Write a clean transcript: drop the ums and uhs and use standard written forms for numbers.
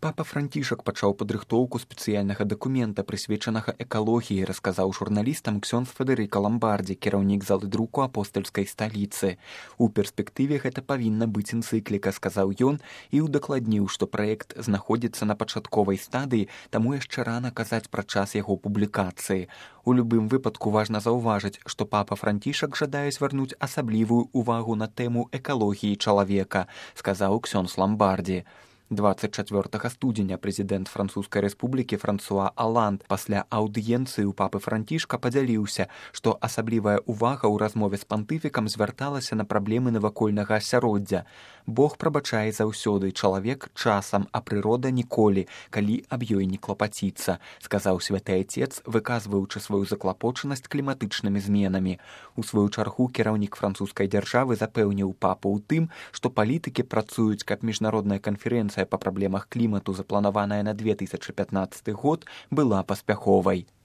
Папа Францішак пачаў падрыхтоўку спецыяльнага дакумента, прысвечанага экалогіі, расказаў журналістам ксёндз Федэрыка Ламбардзі, кіраўнік залы друку апостальскай сталіцы. У перспектыве гэта павінна быць энцыкліка, сказаў ён і ўдакладніў, што праект знаходзіцца на пачатковай стадыі, таму яшчэ рана казаць пра час яго публікацыі. У любым выпадку важна заўважыць, што папа Францішак жадае звярнуць асаблівую ўвагу на тэму экалогіі чалавека, сказаў ксёндз Ламбардзі. 24 студзеня прэзідэнт Французскай рэспублікі Франсуа Аланд пасля аўдыенцыі ў папы Францішка падзяліўся, што асаблівая ўвага ў размове з пантыфікам звярталася на праблемы навакольнага асяроддзя. Бог прабачае заўсёды, чалавек часам, а прырода ніколі, калі аб ёй не клапаціцца, сказаў святы айцец, выказваючы сваю заклапочанасць кліматычнымі зменамі. У сваю чаргу кіраўнік французскай дзяржавы запэўніў папу ў тым, што палітыкі працуюць, каб міжнародная канферэнцыя па праблемах клімату, запланаваная на 2015 год, была паспяховай.